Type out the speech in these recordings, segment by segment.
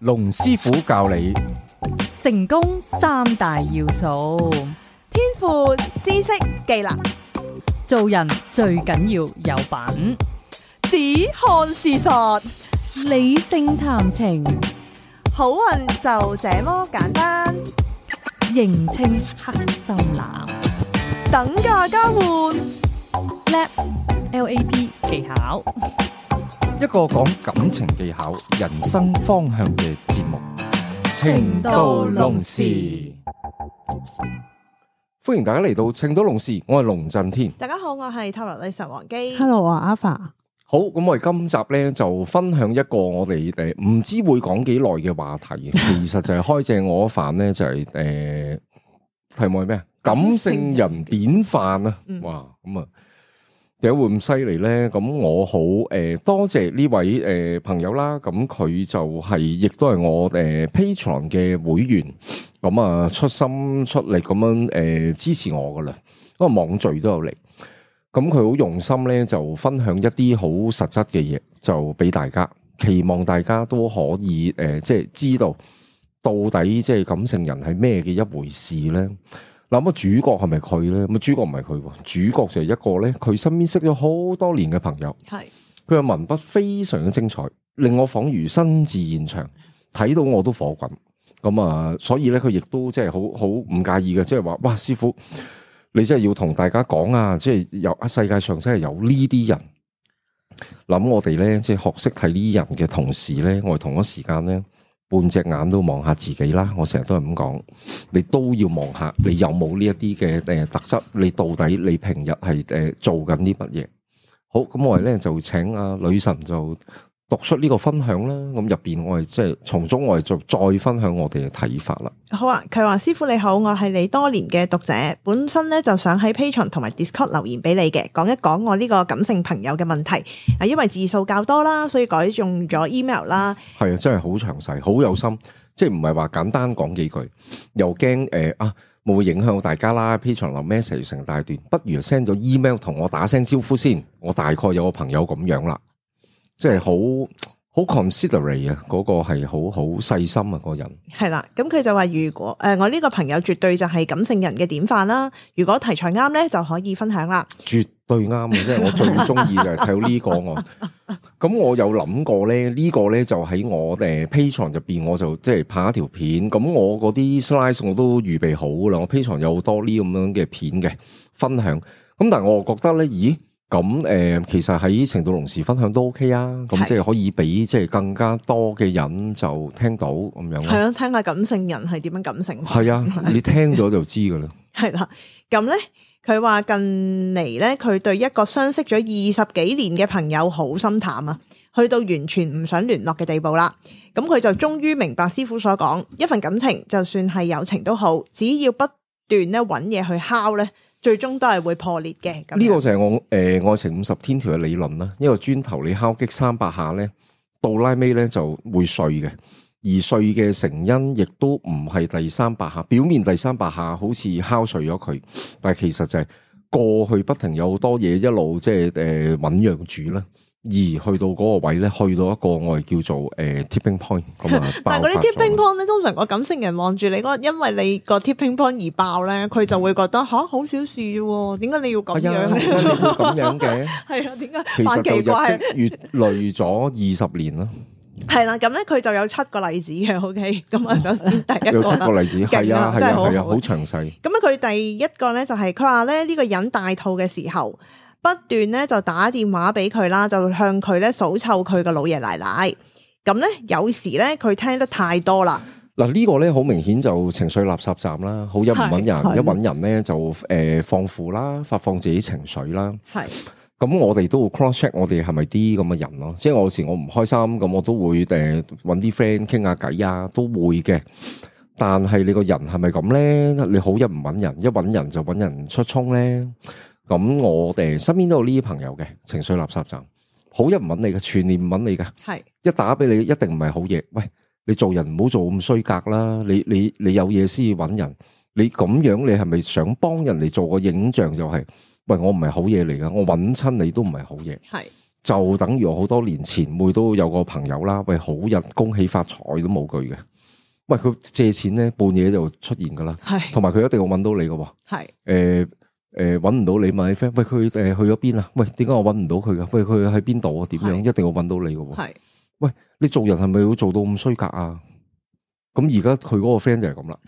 龍師傅教你成功三大要素，天賦、知識、技能，做人最緊要有品，只看事實，理性談情，好運就這麼簡單。認清黑心男，等價交換LAP 技巧，一個講感情技巧、人生方向嘅節目《情到濃時》。歡迎大家嚟到《情到濃時》，我係龍震天。大家好，我係塔羅女神王姬。Hello 啊，Alpha。好，咁我哋今集咧就分享一個我哋唔知會講幾耐嘅話題，其實就係開正我飯咧，就係題目係咩啊？感性人典範啊！哇，咁啊，點解會咁犀利咧？咁我好多謝呢位朋友啦，咁佢就係亦都係我Patreon 嘅會員，咁啊出心出力咁樣支持我噶啦，因為網聚都有嚟。咁佢好用心咧，就分享一啲好實質嘅嘢，就俾大家，期望大家都可以即係知道到底即係感性人係咩嘅一回事咧。嗱，咁主角係咪佢咧？咁主角唔係佢，主角就係一個咧，佢身邊識咗好多年嘅朋友，係佢嘅文筆非常之精彩，令我仿如身至現場，睇到我都火滾。咁啊，所以咧佢亦都即係好唔介意嘅，即係話哇，師傅。你真係要同大家講啊！即係有世界上真係有呢啲人，諗我哋咧，即係學識睇呢啲人嘅同時咧，我哋同一時間咧，半隻眼都望下自己啦。我成日都係咁講，你都要望下你有冇呢一啲嘅特質，你到底你平日係做緊啲乜嘢？好，咁我哋咧就請阿女神就讀出呢個分享啦，咁入邊我哋即係從中我哋就再分享我哋嘅睇法啦。好啊，佢話師傅你好，我係你多年嘅讀者，本身咧就想喺 Patreon 同埋 Discord 留言俾你嘅，講一講我呢個感性朋友嘅問題。啊，因為字數較多啦，所以改用咗 email 啦。係啊，真係好詳細，好有心，即係唔係話簡單講幾句，又驚會唔會影響大家啦 ？Patreon 留 message 成大段，不如 send 咗 email 同我打聲招呼先。我大概有個朋友咁樣啦。即係好 considerate 啊，嗰個係好細心啊，個人係啦。咁佢就話如果我呢個朋友絕對就係感性人嘅典範啦。如果題材啱咧，就可以分享啦。絕對啱嘅，即係我最中意就係睇到呢個我。咁我有諗過咧，呢個咧就喺我Patreon 入邊，我就即係拍一條片。咁我嗰啲 slide 我都預備好啦。我 Patreon 有好多呢咁樣嘅片嘅分享。咁但係我覺得咧，咦？咁其實喺情到濃時分享都 OK 啊，咁即係可以俾即係更加多嘅人就聽到咁樣。係啊，聽下感性人係點樣感性。係啊，你聽咗就知噶啦。係啦，咁咧佢話近嚟咧，佢對一個相識咗20幾年嘅朋友好心淡啊，去到完全唔想聯絡嘅地步啦。咁佢就終於明白師傅所講，一份感情就算係友情都好，只要不斷咧揾嘢去敲咧，最終都係會破裂嘅。呢個就係我愛情50天條嘅理論啦。一個磚頭你敲擊300下咧，到拉尾咧就會碎嘅，而碎嘅成因亦都唔係第300下，表面第300下好似敲碎咗佢，但係其實就係過去不停有好多嘢一路即係醞釀住啦。而去到嗰個位咧，去到一個我哋叫做tipping point 咁啊。但係嗰啲 tipping point 咧，通常個感性人望住你因為你個 tipping point 而爆咧，佢就會覺得好小事喎，點解你要咁樣咧？你會咁樣嘅？係啊，點解？其實就日積月累咗20年啦。係啦，咁咧佢就有7個例子嘅。OK，咁啊，首先第一個有7個例子，係啊，好詳細。咁咧佢第一個咧就係佢話咧呢個人大肚嘅時候，不斷咧就打電話俾佢啦，就向佢咧數臭佢個老爺奶奶。咁咧有時咧佢聽得太多啦。嗱，呢個咧好明顯就情緒垃圾站啦，好一唔搵人，一搵人咧就放負啦，發放自己情緒啦。係。咁我哋都會 cross check 我哋係咪啲咁嘅人咯，即係有時我唔開心，咁我都會搵啲 friend 傾下偈啊，都會嘅。但係你個人係咪咁咧？你好一唔搵人，一搵人就搵人出衝咧。咁我哋身邊都有呢啲朋友嘅情緒垃圾站，好一唔搵你嘅，全年唔搵你嘅，係一打俾你一定唔係好嘢。喂，你做人唔好做咁衰格啦，你有嘢先搵人，你咁樣你係咪想幫人哋做個影像就係？喂，我唔係好嘢嚟噶，我搵親你都唔係好嘢。係就等於我好多年前妹都有個朋友啦，喂，好日恭喜發財都冇句嘅，喂，佢借錢咧半夜就出現噶啦，係，同埋佢一定要揾到你嘅，係，揾唔到你問你 friend，喂，佢去咗邊啊？喂，點解我揾唔到佢噶？喂，佢喺邊度啊？點樣？一定要揾到你嘅，係，喂，你做人係咪要做到咁衰格啊？咁而家佢嗰個 friend 就係咁啦，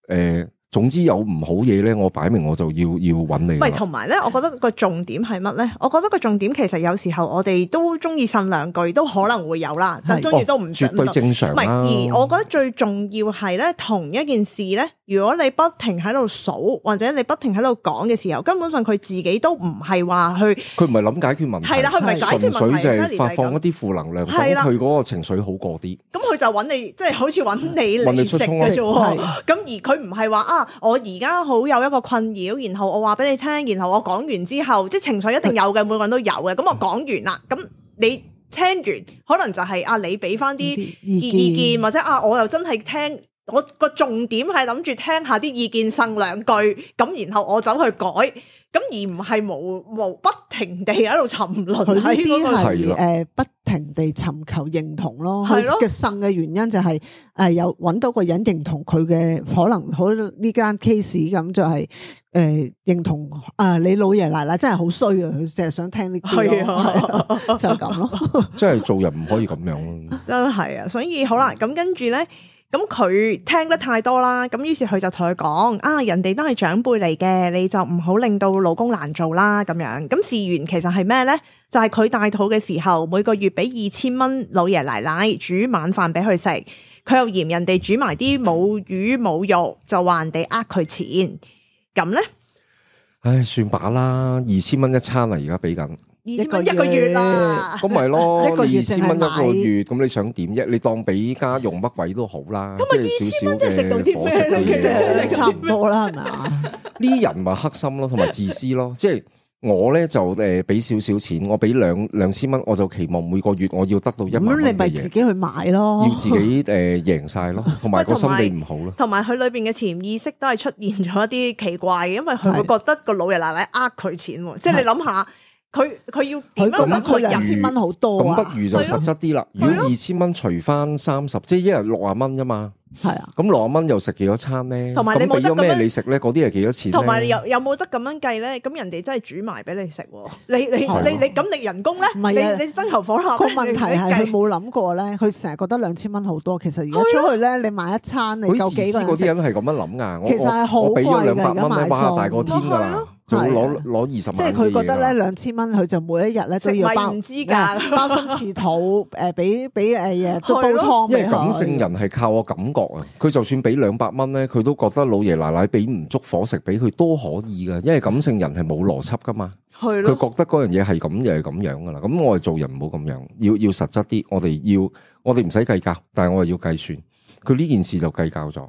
係，總之有唔好嘢咧，我擺明我就要揾你。唔係，同埋咧，我覺得個重點係乜咧？我覺得個重點其實有時候我哋都中意呻兩句，都可能會有啦，但中意都唔絕對正常啦。唔係，而我覺得最重要係咧，同一件事咧，如果你不停喺度數，或者你不停喺度講嘅時候，根本上佢自己都唔係話去，佢唔係諗解決問題，係啦，佢唔係解決問題，純粹就係發放一啲負能量，咁佢嗰個情緒好過啲。咁佢就揾你，即係好似揾你嚟食嘅啫喎。咁而佢唔係話啊，我而家好有一個困擾，然後我話俾你聽，然後我講完之後，即係情緒一定有嘅，每個人都有嘅。咁我講完啦，咁你聽完，可能就係啊，你俾翻啲意見，或者啊，我又真係聽，我個重點係諗住聽下啲意見，呻兩句，咁然後我走去改。咁而唔係無不停地喺度沉淪喺嗰個係不停地尋求認同咯。佢嘅呻嘅原因就係有揾到個人認同佢嘅，可能好呢間 case 咁就係認同你老爺奶奶真係好衰啊！佢淨係想聽呢啲咯，就咁咯。即係做人唔可以咁樣咯。真係啊！所以好啦，咁跟住咧。咁佢聽得太多啦，咁於是佢就同佢講啊，人哋都係長輩嚟嘅，你就唔好令到老公難做啦咁樣。咁事緣其實係咩咧？就係佢大肚嘅時候，每個月俾2000蚊老爺奶奶煮晚飯俾佢食，佢又嫌人哋煮埋啲冇魚冇肉，就話人哋呃佢錢。咁咧，唉，算把啦，2000蚊一餐啊，而家俾緊。2000蚊一個月啦，咁咪咯，一個月2000蚊一個月，咁你想點啫？你當俾家用乜鬼都好啦，咁咪2000蚊即係食到啲咩？差唔多啦，係咪啊？呢啲人咪黑心咯，同埋自私咯。即係我咧就俾少少錢，我俾2000蚊，我就期望每個月我要得到1萬蚊嘅嘢。咁你咪自己去買咯，要自己贏晒咯，同埋個心理唔好咯。同埋佢裏邊嘅潛意識都係出現咗一啲奇怪嘅，因為佢會覺得個老爺奶奶呃佢錢，即係你諗下。佢要點樣得佢2000蚊好多啊？咁不如就實質啲啦。如果2000蚊除翻30，即係一日60蚊啫嘛。係啊，咁60蚊又食幾多餐咧？同埋你冇得咩你食咧？嗰啲係幾多錢？同埋有冇得咁樣計咧？咁人哋真係煮埋俾你食，你咁你人工咧？唔係啊，你燈油火蠟。個問題係佢冇諗過咧，佢成日覺得2000蚊好多，其實而家出去咧，你買一餐你夠幾個人食？嗰啲人係咁樣諗噶。其實係好貴嘅，而家買餸大過天噶啦。就攞20萬，即係佢覺得咧2000蚊，佢就每一日咧都要包心翅肚，俾嘢都煲湯。因為感性人係靠我感覺啊，佢就算俾200蚊咧，佢都覺得老爺奶奶俾唔足伙食俾佢都可以噶，因為感性人係冇邏輯噶嘛。佢覺得嗰樣嘢係咁，又係咁樣噶啦。咁我哋做人唔好咁樣，要實質啲。我哋唔使計較，但係我係要計算。佢呢件事就計較咗，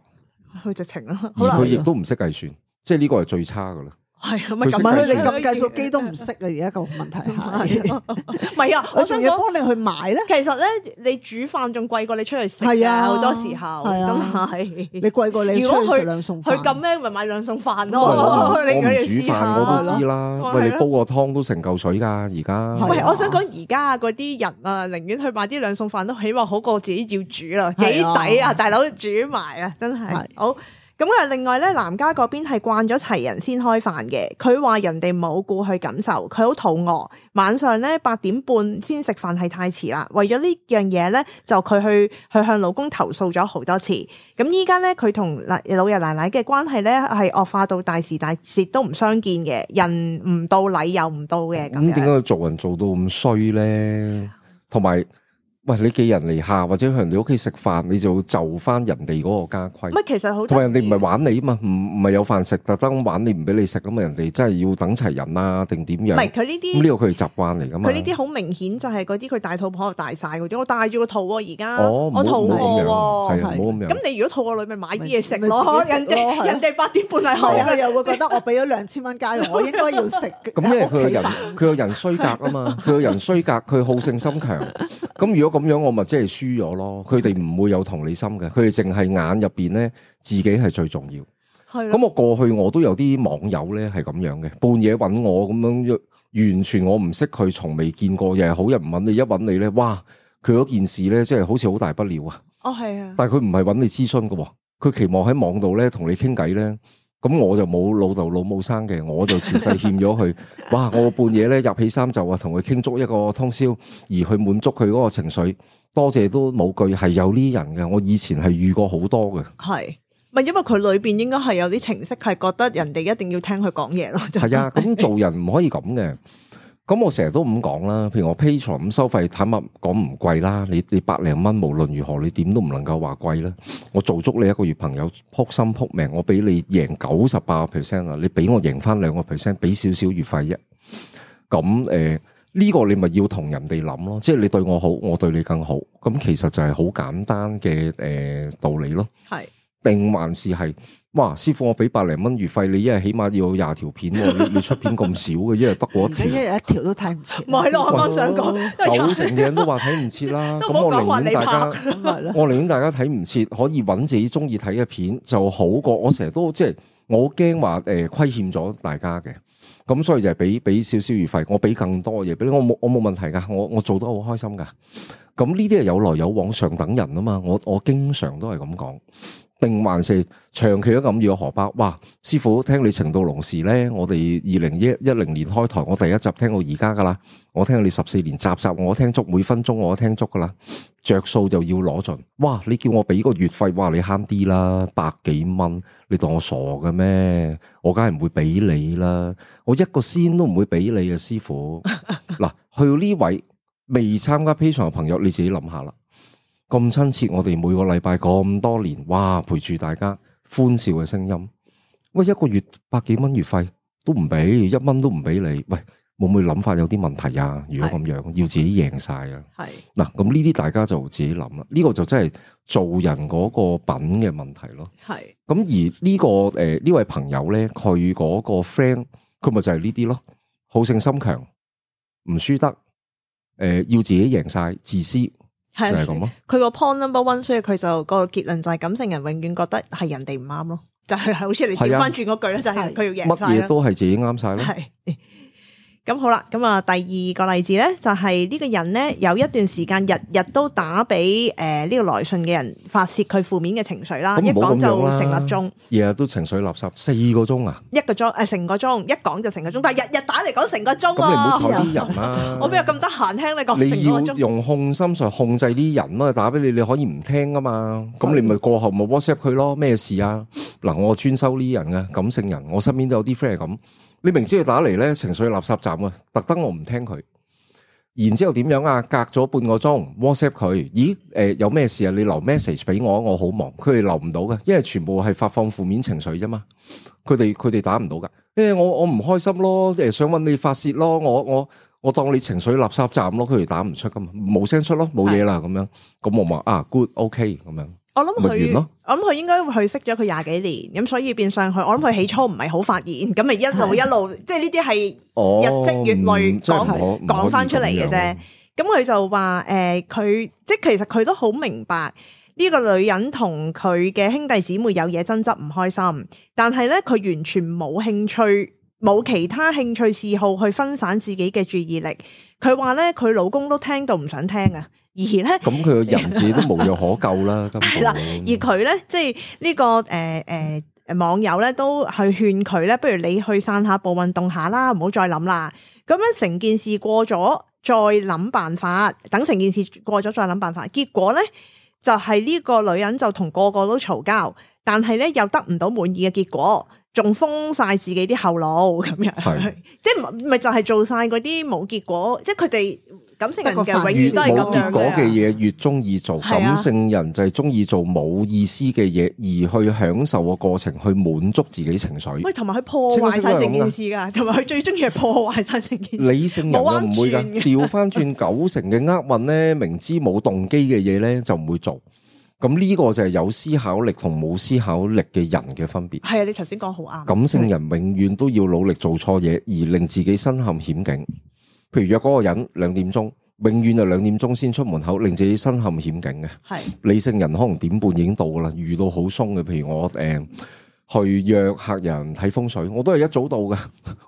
佢直情啦，而佢亦都唔識計算，即係呢個係最差噶啦。係啊，唔係佢哋咁計數機都唔識啊！而家個問題係，唔係啊，我仲要幫你去買咧。其實咧，你煮飯仲貴過你出去食啊！好多時候真係你貴過你出去食兩餸飯。佢咁咩咪買兩餸飯咯？我唔煮飯我都知啦。喂，你煲個湯都成嚿水噶，而家。喂，我想講而家嗰啲人啊，寧願去買啲兩餸飯都起碼好過自己要煮啦，幾抵啊！大佬煮埋啊，真係好。咁啊，另外咧，男家嗰邊係慣咗齊人先開飯嘅。佢話人哋冇顧佢感受，佢好肚餓。晚上咧8點半先食飯係太遲啦。為咗呢樣嘢咧，就佢去向老公投訴咗好多次。咁依家咧，佢同老爺奶奶嘅關係咧係惡化到大時大節都唔相見嘅，人唔到禮又唔到嘅咁樣。咁點解佢做人做到咁衰咧？同埋。喂，你寄人籬下或者去人哋屋企食飯，你就就翻人哋嗰個家規。唔係，其實好同埋人哋唔係玩你啊嘛，唔係有飯食，特登玩你唔俾你食咁啊！人哋真係要等齊人啊，定點樣？唔係佢呢啲，咁呢個佢哋習慣嚟噶嘛。佢呢啲好明顯就係嗰啲佢大肚婆大晒嗰啲，我帶住個肚喎而家，我肚餓喎，係啊，冇咁樣。咁你如果肚餓女咪買啲嘢食咯，人哋8點半係開，佢又會覺得我俾咗2000蚊家用，我應該要食。咁因為佢個人衰格啊嘛，佢個人衰格，佢好勝心強。咁如果咁樣，我咪即係輸咗咯。佢哋唔會有同理心嘅，佢哋淨係眼入邊咧自己係最重要。係咁我過去我都有啲網友咧係咁樣嘅，半夜搵我咁樣完全我唔識佢，從未見過，又係好人唔揾你，一揾你咧，哇！佢嗰件事咧，即係好似好大不了啊！哦，係啊，但係佢唔係揾你諮詢嘅，佢期望喺網度咧同你傾偈咧。咁我就冇老豆老母生嘅，我就前世欠咗佢。哇！我半夜咧入起衫就話同佢傾足一個通宵，而去滿足佢嗰個情緒。多謝都冇句，係有呢人嘅。我以前係遇過好多嘅。係咪因為佢裏邊應該係有啲程式係覺得人哋一定要聽佢講嘢咯？係啊，咁做人唔可以咁嘅。咁我成日都咁講啦，譬如我 Patreon 咁收費，坦白講唔貴啦。你百零蚊，無論如何你點都唔能夠話貴啦。我做足你一個月朋友，撲心撲命，我俾你贏98%啊！你俾我贏翻2%，俾少少月費啫。咁呢個你咪要同人哋諗咯，即係你對我好，我對你更好。咁其實就係好簡單嘅道理咯。係定還是係？哇！師傅，我俾百零蚊月費，你一日起碼要20條片，你出片咁少嘅，一日得嗰一條，一日一條都睇唔切。唔係咯，我啱想講，90%嘅人都話睇唔切啦。咁我寧願大家，我寧願大家睇唔切，可以揾自己中意睇嘅片就好過。我成日都即係我驚話虧欠咗大家嘅，咁所以就係俾少少月費，我俾更多嘢俾你，我冇問題噶，我做得好開心噶。咁呢啲係有來有往上等人啊嘛，我經常都係咁講。定還是長期都咁要荷包？哇！師傅，聽你情到濃時咧，我哋2010年開台，我第一集聽到而家噶啦，我聽你14年，集我聽足，每分鐘我都聽足噶啦，着數就要攞盡。哇！你叫我俾個月費，哇！你慳啲啦，100幾蚊，你當我傻嘅咩？我梗係唔會俾你啦，我一個仙都唔會俾你啊，師傅。嗱，去到呢位未參加 Patreon 嘅朋友，你自己諗下啦。咁親切，我哋每個禮拜咁多年，哇，陪住大家歡笑嘅聲音。喂，一個月100幾蚊月費都唔俾，1蚊都唔俾你。喂，會唔會諗法有啲問題啊？如果咁樣，要自己贏晒啊？係嗱，咁呢啲大家就自己諗啦。呢個就真係做人嗰個品嘅問題咯。係咁而呢個呢位朋友咧，佢嗰個 friend，佢咪就係呢啲咯，好勝心強，唔輸得，要自己贏晒，自私。係咁咯，佢個 point number one，所以佢就個結論就係感性人永遠覺得係人哋唔啱咯，就係好似你調翻轉嗰句咧，就係佢要贏晒啦，乜嘢都係自己啱晒咯。係咁好啦，咁啊第二個例子咧就係呢個人咧有一段時間日日都打俾呢個來信嘅人發洩佢負面嘅情緒啦，一講就成粒鐘，日日都情緒垃圾4個鐘啊，1個鐘成個鐘，一講就成個鐘，但係日日打嚟講成個鐘，咁你唔好睬啲人啦，我邊有咁得閒聽你講成個鐘？你要用控心術控制啲人啊，打俾你可以唔聽噶嘛，咁你咪過後咪 WhatsApp 佢咯，咩事啊？嗱，我專收呢啲人嘅感性人，我身邊都有啲 friend 係咁。你明知佢打嚟咧情緒垃圾站啊，特登我唔聽佢，然之後點樣啊？隔咗半個鐘 WhatsApp 佢，咦？有咩事啊？你留 message 俾我，我好忙。佢哋留唔到嘅，因為全部係發放負面情緒啫嘛。佢哋打唔到噶。我唔開心咯，想搵你發洩咯。我當你情緒垃圾站咯，佢哋打唔出噶嘛，冇聲出咯，冇嘢啦咁樣。咁我話啊 good OK 咁樣。我諗佢應該去識咗佢20幾年，咁所以變相去，我諗佢起初唔係好發現，咁咪一路，即係呢啲係日積月累講翻出嚟嘅啫。咁佢就話佢即係其實佢都好明白呢個女人同佢嘅兄弟姊妹有嘢爭執唔開心，但係咧佢完全冇興趣，冇其他興趣嗜好去分散自己嘅注意力。佢話咧佢老公都聽到唔想聽啊。而咧，咁佢個人自己都無藥可救啦。係啦，而佢咧，即係呢個網友咧，都去勸佢咧，不如你去散下步、運動下啦，唔好再諗啦。咁樣成件事過咗，再諗辦法。等成件事過咗，再諗辦法。結果咧，就係呢個女人就同個個都嘈交，但係咧又得唔到滿意嘅結果，仲封晒自己啲後路咁樣。即係咪就係做晒嗰啲冇結果？即係佢哋。感性人嘅永遠都係咁樣嘅。冇結果嘅嘢越中意做，感性人就係中意做冇意思嘅嘢，而去享受個過程，去滿足自己情緒。喂，同埋佢破壞晒成件事噶，同埋佢最中意係破壞晒成件事。理性人我唔會噶，調翻轉90%嘅厄運咧，明知冇動機嘅嘢咧就唔會做。咁呢個就係有思考力同冇思考力嘅人嘅分別。係啊，你頭先講好啱。感性人永遠都要努力做錯嘢，而令自己身陷險境。譬如約嗰個人2點鐘，永遠就2點鐘先出門口，令自己身陷險境嘅。係理性人可能1點半已經到噶啦，遇到好鬆嘅。譬如我去約客人睇風水，我都係一早到嘅，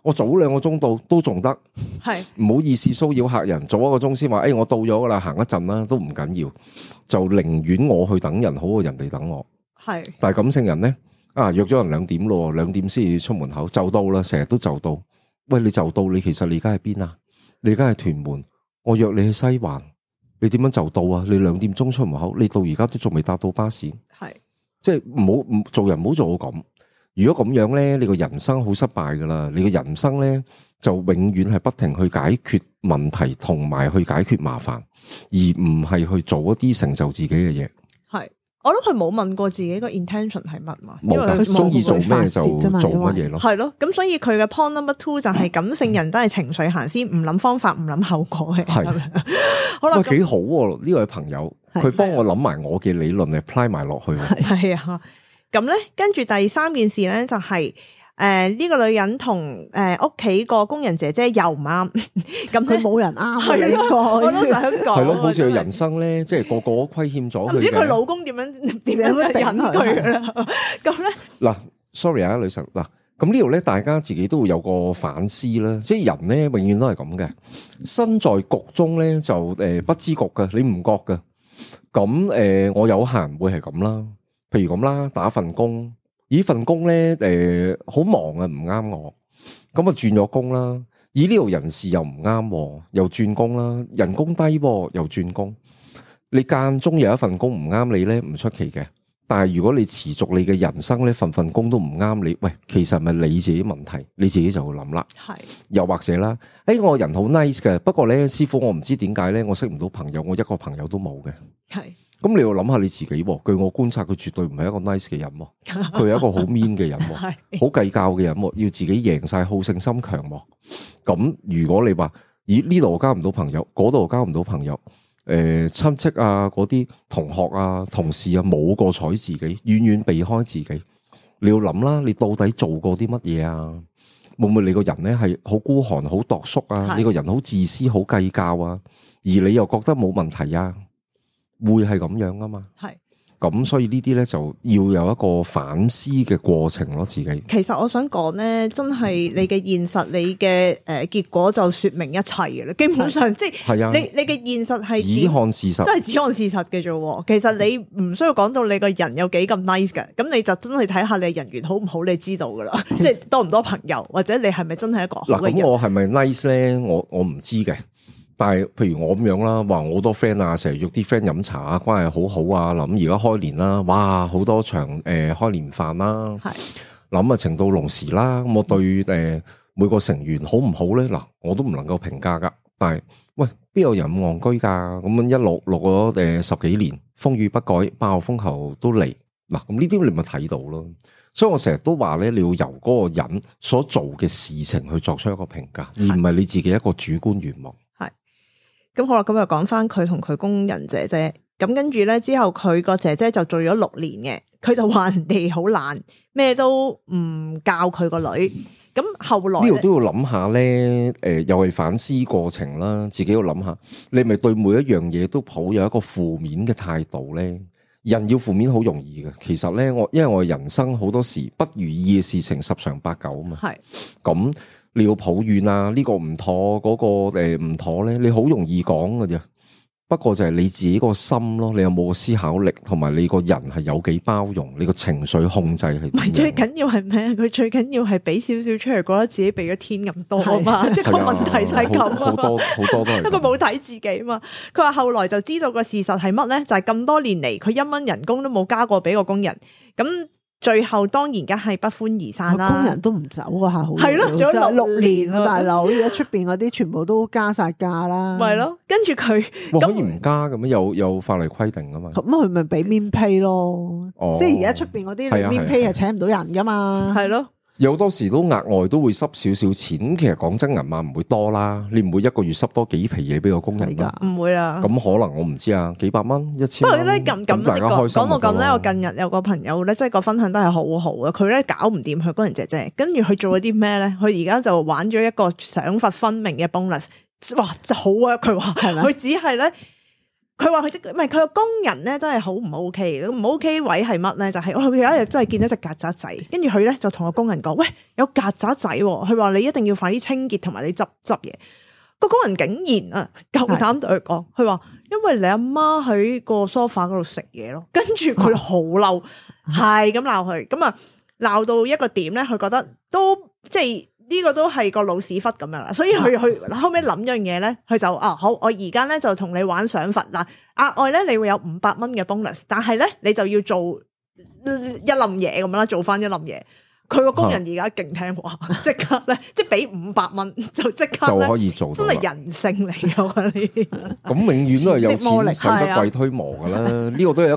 我早2個鐘到都仲得，係唔好意思騷擾客人，早1個鐘先話，我到咗噶啦，行一陣啦，都唔緊要，就寧願我去等人好過人哋等我。係，但係感性人咧，約咗人2點咯，2點先至出門口就到啦，成日都就到。喂，你就到，你其實你而家喺邊啊？你而家係屯門，我約你去西環，你點樣就到啊？你2點鐘出門口，你到而家都仲未搭到巴士，係。即係唔做人唔好做到咁，如果咁樣咧，你個人生好失敗噶啦，你個人生咧就永遠係不停去解決問題同埋去解決麻煩，而唔係去做一啲成就自己嘅嘢。係，我諗佢冇問過自己個 intention 係乜嘛，因為佢中意做咩就做乜嘢咯。係咯，咁所以佢嘅 point number 2就係感性人都係情緒行先，唔諗方法，唔諗後果嘅。係，好啦，幾好喎，呢位朋友。佢幫我諗埋我嘅理論 apply 埋落去。係啊，咁咧跟住第3件事咧就係呢個女人同屋企個工人姐姐又唔啱，咁佢冇人啱嘅呢個，我都想講係咯，好似佢人生咧，即係個個都虧欠咗佢，唔知佢老公點樣忍佢噶啦。咁咧嗱 ，sorry 啊，女神嗱，咁呢度咧大家自己都會有個反思啦，即係人咧永遠都係咁嘅，身在局中咧就不知局嘅，你唔覺嘅。咁我有閒會係咁啦，譬如咁啦，打份工，份工咧好忙啊，唔啱我，咁啊轉咗工啦，呢度人事又唔啱，又轉工啦，人工低又轉工，你間中有一份工唔啱你咧，唔出奇嘅。但係如果你持續你嘅人生咧，份工都唔啱你，喂，其實係咪你自己問題？你自己就會諗啦。係，又或者啦，我人好 nice 嘅，不過咧，師傅我唔知點解咧，我識唔到朋友，我一個朋友都冇嘅。係，咁你要諗下你自己。據我觀察，佢絕對唔係一個 nice 嘅人，佢係一個好 mean 嘅人，好計較嘅人，要自己贏晒，好勝心強。咁如果你話，咦呢度交唔到朋友，嗰度交唔到朋友。親戚啊，嗰啲同學啊、同事啊，冇個睬自己，遠遠避開自己。你要諗啦，你到底做過啲乜嘢啊？會唔會你個人咧係好孤寒、好度縮啊？你個人好自私、好計較啊？而你又覺得冇問題啊？會係咁樣啊嘛？係。咁所以呢啲咧就要有一個反思嘅過程咯，自己。其實我想講咧，真係你嘅現實，你嘅結果就說明一切嘅啦。基本上即係你嘅現實係只看事實，真係只看事實嘅啫。其實你唔需要講到你個人有幾咁 nice 嘅，咁你就真係睇下你人緣好唔好，你知道噶啦。即係多唔多朋友，或者你係咪真係一個好嘅人。嗱，咁我係咪 nice 咧？我唔知嘅。但係，譬如我咁樣啦，話我好多 friend 啊，成日約啲 friend 飲茶啊，關係好好啊。諗而家開年啦，哇，好多場開年飯啦，係諗啊情到濃時啦。咁我對每個成員好唔好咧？嗱，我都唔能夠評價噶。但係，喂，邊有人咁戇居噶？咁樣一錄咗10幾年，風雨不改，爆風球都嚟。嗱，咁呢啲你咪睇到咯。所以我成日都話咧，你要由嗰個人所做嘅事情去作出一個評價，而唔係你自己一個主觀願望。咁好啦，咁又講翻佢同佢工人姐姐，咁跟住咧之後佢個姐姐就做咗6年嘅，佢就話人哋好懶，咩都唔教佢個女。咁後來呢度都要諗下咧，又係反思過程啦，自己要諗下，你咪對每一樣嘢都抱有一個負面嘅態度咧。人要負面好容易嘅，其實咧因為我人生好多時不如意嘅事情10常8九啊嘛。係咁。你要抱怨啊，呢個唔妥，嗰個唔妥咧，你好容易講㗎啫。不過就係你自己個心咯，你有冇個思考力，同埋你個人係有幾包容，你個情緒控制係。唔係最緊要係咩？佢最緊要係俾少少出嚟，覺得自己俾咗天咁多啊嘛。即係個問題就係咁啊。好多都係。因為佢冇睇自己嘛。佢話後來就知道個事實係乜咧？就係咁多年嚟，佢1蚊人工都冇加過俾個工人。咁最後當然梗係不歡而散啦，工人都唔走啊，好係咯，做咗6年啊，大佬，而家出邊嗰啲全部都加晒價啦，係咯，跟住佢可以唔加咁樣，有法例規定啊嘛，咁佢咪俾面 pay 咯，即係而家出邊嗰啲面 pay 係請唔到人噶嘛，係咯。有好多時都額外都會濕少少錢，其實講真銀碼唔會多啦，你唔會一個月濕多幾皮嘢俾個工人噶，唔會啊。咁可能我唔知啊，幾百蚊、1000蚊。不過咧咁大家開心講到咁咧，我近日有個朋友咧，即係個分享都係好好嘅。佢咧搞唔掂佢工人姐姐，跟住佢做咗啲咩咧？佢而家就玩咗一個賞罰分明嘅 bonus，哇，就好啊！佢話佢只係咧。佢話佢唔係佢個工人咧，真係好唔 OK。唔 OK 位係乜咧？就係佢有一日真係見到隻曱甴仔，跟住佢咧就同個工人講：喂，有曱甴仔喎！佢話你一定要快啲清潔同埋你執嘢。個工人竟然啊夠膽對佢講，佢話因為你阿媽喺個 sofa 嗰度食嘢咯。跟住佢好嬲，係咁鬧佢，咁啊鬧到一個點咧，佢覺得都即係。呢個都係個老屎忽咁樣啦，所以佢後尾諗樣嘢咧，佢就好，我而家咧就同你玩賞罰嗱，額外咧你會有500蚊嘅 bonus， 但係咧你就要做一冧嘢咁樣啦，做翻一冧嘢。佢個工人而家勁聽話，即刻咧即係俾500蚊就即刻就可以做，真係人性嚟㗎呢。咁永遠都係有錢使得鬼推磨噶啦，呢個都係一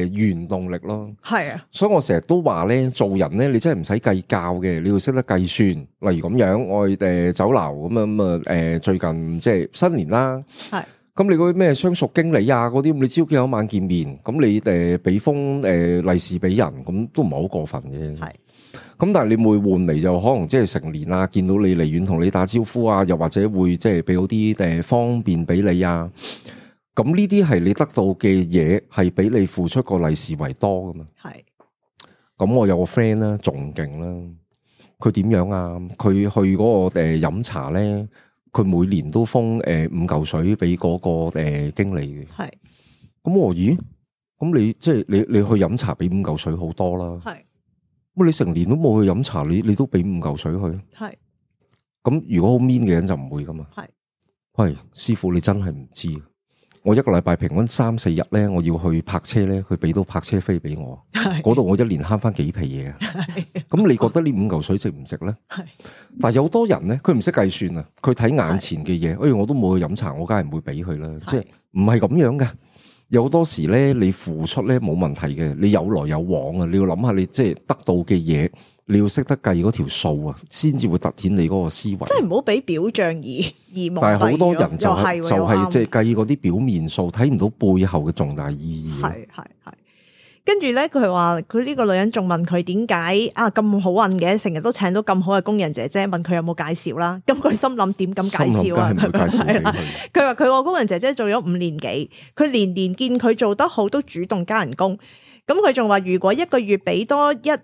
個原動力咯。係啊，所以我成日都話咧，做人咧你真係唔使計較嘅，你要識得計算。例如咁樣，我酒樓咁最近即係新年啦，係咁你嗰啲咩相熟經理啊嗰啲，你朝見有一晚見面，咁你俾封利是俾人，咁都唔係好過分嘅。係。咁但係你會換嚟就可能即係成年啊，見到你離遠同你打招呼啊，又或者會即係俾嗰啲方便俾你啊。咁呢啲係你得到嘅嘢，係比你付出個利是為多噶嘛。係。咁我有個 friend 啦，仲勁啦。佢點樣啊？佢去嗰個飲茶咧，佢每年都封5嚿水俾嗰個經理嘅。係。咁我咦？咁你即係你去飲茶俾5嚿水好多啦。係。咁你成年都冇去飲茶，你都俾5嚿水去？係。咁如果好 mean 嘅人就唔會噶嘛。係。喂，師傅你真係唔知，我一個禮拜平均3-4日咧，我要去泊車咧，佢俾到泊車飛俾我，嗰度我一年慳翻幾皮嘢啊。咁你覺得呢5嚿水值唔值咧？係。但係有好多人咧，佢唔識計算啊，佢睇眼前嘅嘢，我都冇去飲茶，我梗係唔會俾佢啦。即係唔係咁樣噶。有好多時咧，你付出咧冇問題嘅，你有來有往啊！你要諗下，你即係得到嘅嘢，你要識得計嗰條數啊，先至會凸顯你嗰個思維。即係唔好俾表象而蒙蔽。但係好多人就係即係計嗰啲表面數，睇唔到背後嘅重大意義。係。跟住咧，佢話佢呢個女人仲問佢點解啊咁好運嘅，成日都請到咁好嘅工人姐姐，問佢有冇介紹啦。咁佢心諗點咁介紹啊？係啦，佢話佢個工人姐姐做咗5年幾，佢年年見佢做得好，都主動加人工。咁佢仲話如果一個月俾多1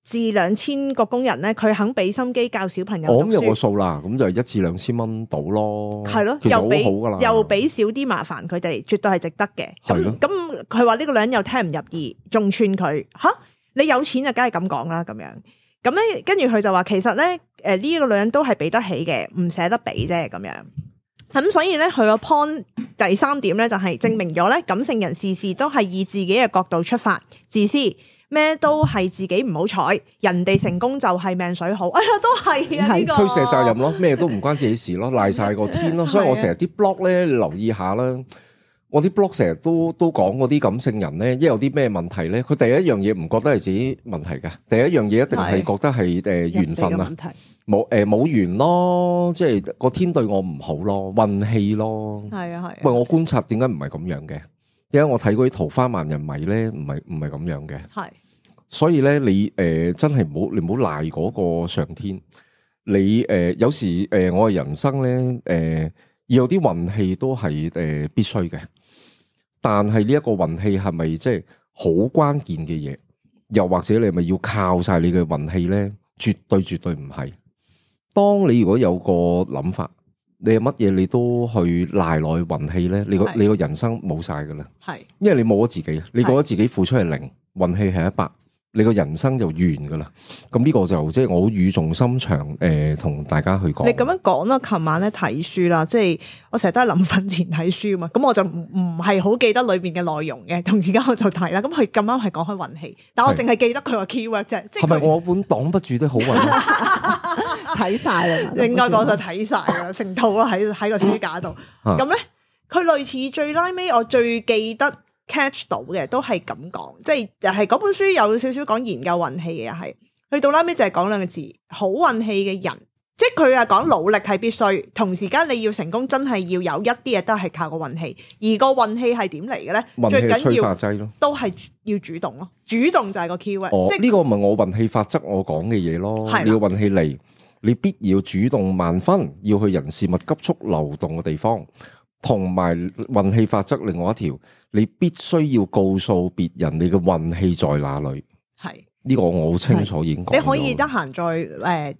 至2千個工人咧，佢肯俾心機教小朋友讀書。我諗有個數啦，咁就1至2千蚊到咯。係咯，其實好好噶啦，又俾少啲麻煩佢哋，絕對係值得嘅。咁佢話呢個女人又聽唔入耳，仲串佢吓，你有錢就梗係咁講啦咁樣。咁咧，跟住佢就話其實咧，呢個女人都係俾得起嘅，唔捨得俾啫咁樣。咁所以咧，佢個 point 第3點咧就係證明咗咧，感性人事事都係以自己嘅角度出發，自私。咩都係自己唔好彩，人哋成功就係命水好。哎呀，都係啊，呢個推卸責任咯，咩都唔關自己事咯，賴晒個天咯。所以我成日啲 blog 咧，你留意下啦。我啲 blog 成日都講嗰啲感性人咧，一有啲咩問題咧，佢第一樣嘢唔覺得係自己問題嘅，第一樣嘢一定係覺得係緣分啊，冇緣咯，即係個天對我唔好咯，運氣咯。係啊。喂，我觀察點解唔係咁樣嘅？點解我睇嗰啲桃花萬人迷咧，唔係咁樣嘅？係。所以咧，你真係你唔好賴嗰個上天。你有時我嘅人生咧，要有啲運氣都係必須嘅。但係呢一個運氣係咪即係好關鍵嘅嘢？又或者你係咪要靠晒你嘅運氣咧？絕對唔係。當你如果有個諗法，你係乜嘢你都去賴落去運氣咧，你個人生冇晒噶啦。係，因為你冇咗自己，你覺得自己付出係0，運氣係100。你個人生就完噶啦，咁呢個就即係我好語重心長同大家去講。你咁樣講啦，琴晚咧睇書啦，即係我成日都係臨瞓前睇書嘛，咁我就唔係好記得裏邊嘅內容嘅，同而家我就睇啦。咁佢咁啱係講開運氣，但我淨係記得佢話 keyword 啫。係咪我本擋不住的好運？睇晒啦，應該講就睇晒啦，成套啦喺個書架度。咁咧，佢類似最拉尾，我最記得。catch 到嘅都係咁講，即係又係嗰本書有少少講研究運氣嘅，又係去到拉尾就係講2個字，好運氣嘅人，即係佢係講努力係必須，同時間你要成功真係要有一啲嘢都係靠個運氣，而個運氣係點嚟嘅咧？最緊要都係要主動咯，主動就係個 keyword。即係呢個唔係我運氣法則我講嘅嘢咯，你要運氣嚟，你必要主動萬分，要去人事物急速流動嘅地方。同埋運氣法則另外一條，你必須要告訴別人你嘅運氣在哪裏。係呢個我好清楚已經講咗。你可以得閒再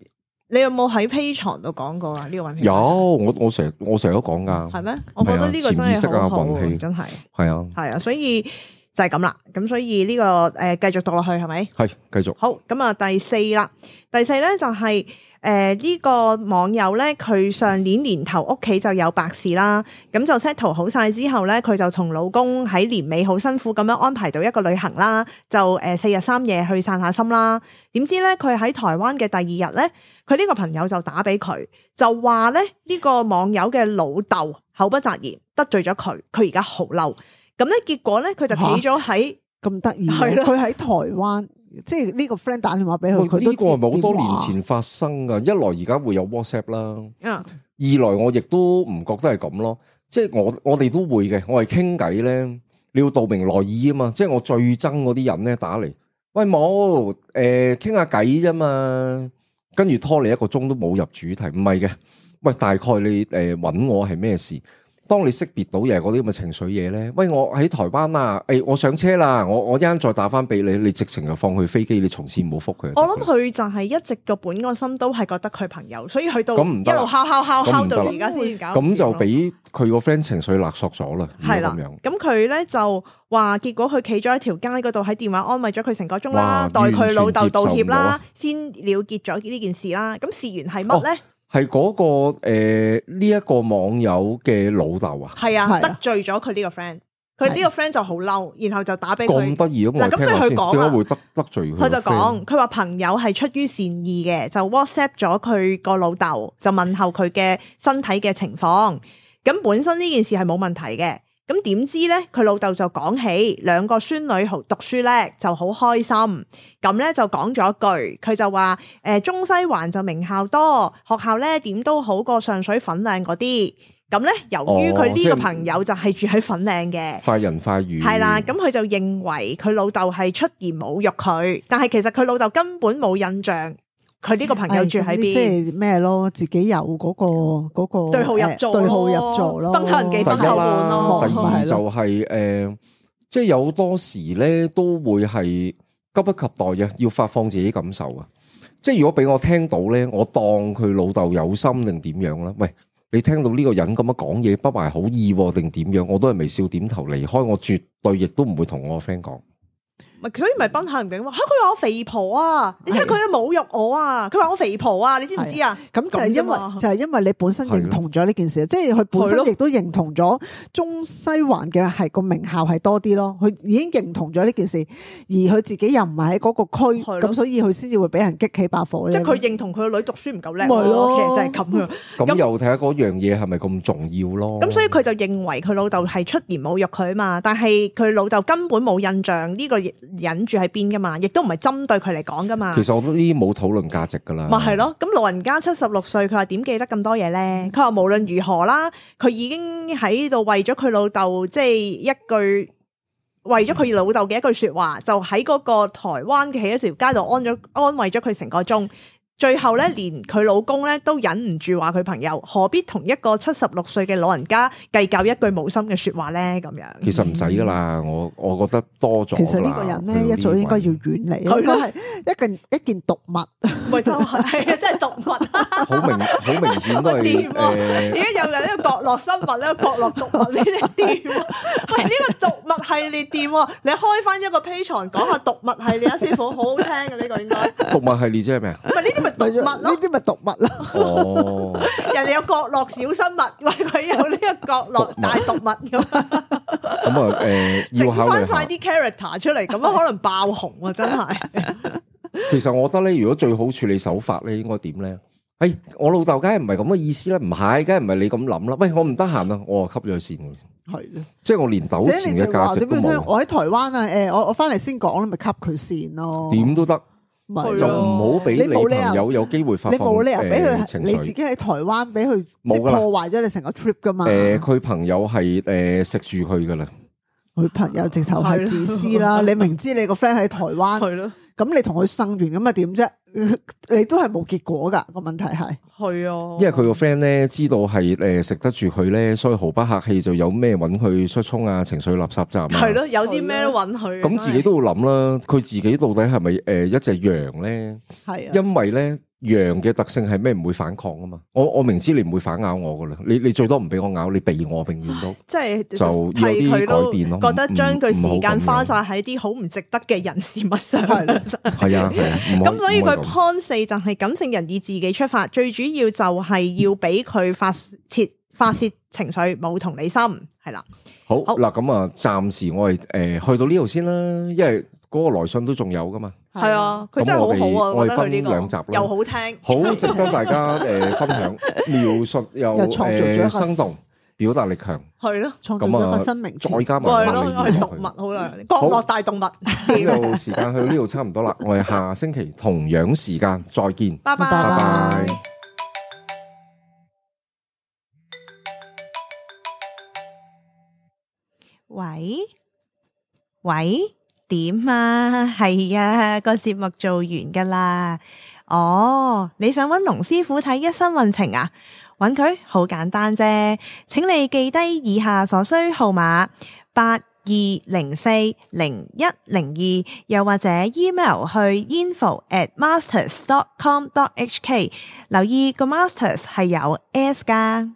你有冇喺 Patreon 度講過啊？呢個運氣有，我成日都講噶。係咩？我覺得呢個真係好好，運氣真係係啊，所以就係咁啦。咁所以呢個繼續讀落去係咪？係繼續。好，咁啊第四啦，第四咧就係呢個網友咧，佢上年年頭屋企就有白事啦，咁就 settle 好晒之後咧，佢就同老公喺年尾好辛苦咁樣安排到一個旅行啦，就4日3夜去散下心啦。點知咧佢喺台灣嘅第二日咧，佢呢個朋友就打俾佢，就話咧呢個網友嘅老豆口不擇言得罪咗佢，佢而家好嬲。咁咧結果咧佢就企咗喺咁得意，佢喺台灣。即係呢個 friend 打電話俾佢，佢都呢個係咪好多年前發生噶？一來而家會有 WhatsApp 啦，二來我亦都唔覺得係咁咯。即係我哋都會嘅，我係傾偈咧，你要道明來意啊嘛。即係我最憎嗰啲人咧打嚟，喂冇傾下偈啫嘛，跟住拖你1個鐘都冇入主題，唔係嘅。喂，大概你搵我係咩事？當你識別到嘢嗰啲咁嘅情緒嘢咧，喂，我喺台灣啊，我上車啦，我一陣再打翻俾你，你直情就放佢飛機，你從此唔好覆佢。我諗佢就係一直個本個心都係覺得佢朋友，所以去到一路敲到而家先搞。咁就俾佢個 friend 情緒勒索咗啦。係啦，咁佢咧就話，結果佢企咗喺條街嗰度喺電話安慰咗佢成個鐘啦，代佢老豆道歉啦，先了結咗呢件事啦。咁事緣係乜咧？係嗰個呢一個網友嘅老豆啊，係啊，得罪咗佢呢個 friend，佢呢個 friend 就好嬲，然後就打俾佢。咁得意咁，咁所以佢講點解會得罪佢？佢就講，佢話朋友係出於善意嘅，就 WhatsApp 咗佢個老豆，就問候佢嘅身體嘅情況。咁本身呢件事係冇問題嘅。咁點知咧，佢老豆就講起2個孫女讀書叻，就好開心。咁咧就講咗一句，佢就話中西環就名校多，學校咧點都好過上水粉嶺嗰啲。咁咧，由於佢呢個朋友就係住喺粉嶺嘅，快人快語係啦。咁佢就認為佢老豆係出言侮辱佢，但係其實佢老豆根本冇印象。佢呢個朋友住喺邊？即係咩咯？自己有嗰個對號入座，對號入座咯。崩口人忌崩口碗咯。第二就係即係有多時咧都會係急不及待嘅，要發放自己感受啊！即係如果俾我聽到咧，我當佢老豆有心定點樣啦？喂，你聽到呢個人咁樣講嘢不懷好意定點樣？我都係微笑點頭離開，我絕對亦都唔會同我個 friend 講。所以咪崩口人餅話，佢話我肥婆啊！你睇佢侮辱我啊！佢話我肥婆啊！你知唔知啊？咁就係因為你本身認同咗呢件事，即係佢本身亦都認同咗中西環嘅係個名校係多啲咯。佢已經認同咗呢件事，而佢自己又唔係喺嗰個區，咁所以佢先至會俾人激起把火。即係佢認同佢個女讀書唔夠叻，其實就係咁樣。咁又睇下嗰樣嘢係咪咁重要咯？咁所以佢就認為佢老豆係出言侮辱佢啊嘛，但係佢老豆根本冇印象呢個忍住喺邊噶嘛，亦都唔係針對佢嚟講噶嘛。其實我覺得呢啲冇討論價值噶啦。咪係咯，咁老人家76歲，佢話點記得咁多嘢咧？佢話無論如何啦，佢已經喺度為咗佢老豆，即係一句為咗佢老豆嘅一句說話，就喺嗰個台灣嘅喺一條街度安慰咗佢成個鐘。最後咧，連佢老公咧都忍唔住話佢朋友何必同一個76歲嘅老人家計較一句冇心嘅說話咧？咁樣其實唔使噶啦，我覺得多咗。其實呢個人咧一早應該要遠離，佢係一件毒物，咪就係真係毒物，好明顯都係而家又有呢個角落生物呢個角落毒物呢啲店，喂，呢個毒物系列店，你開翻一個 Patreon 講下毒物系列啊，師傅好好聽嘅呢個應該。毒物系列即係咩啊？唔係呢啲咪毒物咯？呢啲咪毒物咯？哦，人哋有角落小生物，喂，佢有呢個角落大毒物咁。咁啊，要考慮整翻晒啲 character 出嚟，咁樣可能爆紅啊！真係。其實我覺得咧，如果最好處理手法咧，應該點咧？我老豆梗係唔係咁嘅意思啦，唔係，梗係唔係你咁諗啦。喂，我唔得閒啊，我就吸咗佢線嘅。係咧，即係我連糾纏嘅價值都冇。我喺台灣啊，我翻嚟先講，咪吸佢線咯。點都得，就唔好俾你朋友有機會發放。你冇理由俾佢，你自己喺台灣俾佢即係破壞咗你成個 trip 噶嘛？佢朋友係食住佢噶啦。佢朋友直頭係自私啦！你明知你個 friend 喺台灣，咁咁你同佢生完咁啊點啫？你都係冇結果噶，個問題係。係啊，因為佢個 friend 咧知道係食得住佢咧，所以毫不客氣就有咩揾佢出沖啊，情緒垃圾站啊。係咯，有啲咩都揾佢。咁自己都要諗啦，佢自己到底係咪一隻羊咧？係啊，因為咧羊嘅特性係咩？唔會反抗啊嘛。我明知你唔會反咬我噶啦，你最多唔俾我咬，你避我，永遠都即係就要有啲改變咯。覺得將佢時間花晒喺啲好唔值得嘅人事物上。係啊。咁所以佢 point 4就係感性人以自己出發，最主要就係要俾佢發泄情緒，冇同理心，係啦。好嗱，咁啊，暫時我哋去到呢度先啦，因為嗰個來信都仲有噶嘛。係啊，佢真係好好啊，我哋覺得佢呢分兩集啦，又好聽，好值得大家分享，描述又創造咗一個生動，表達力強，係咯，創造咗一個新名詞，再加埋係咯，係動物好啦，角落大動物。呢度時間去到呢度差唔多啦，我哋下星期同樣時間再見，拜拜。拜拜。喂，點啊？係啊，個節目做完噶啦。哦，你想揾龍師傅睇一生運程啊？揾佢好簡單啫，請你記低以下所需號碼：82040102，又或者 email 去 info@masters.com.hk。留意個 masters 係有 s 噶。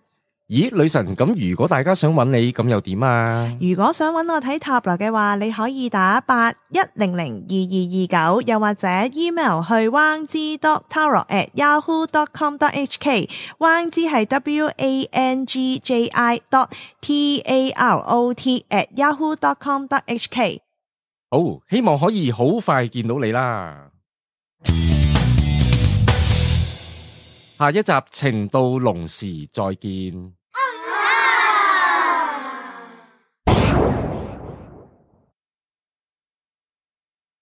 咦，女神，咁如果大家想揾你，咁又點啊？如果想揾我睇塔羅嘅話，你可以打81002229，又或者 email 去 wangzi.tarot@yahoo.com.hk。汪之係 WANGJI.TAROT@yahoo.com.hk。好，希望可以好快見到你啦。下一集情到濃時再見。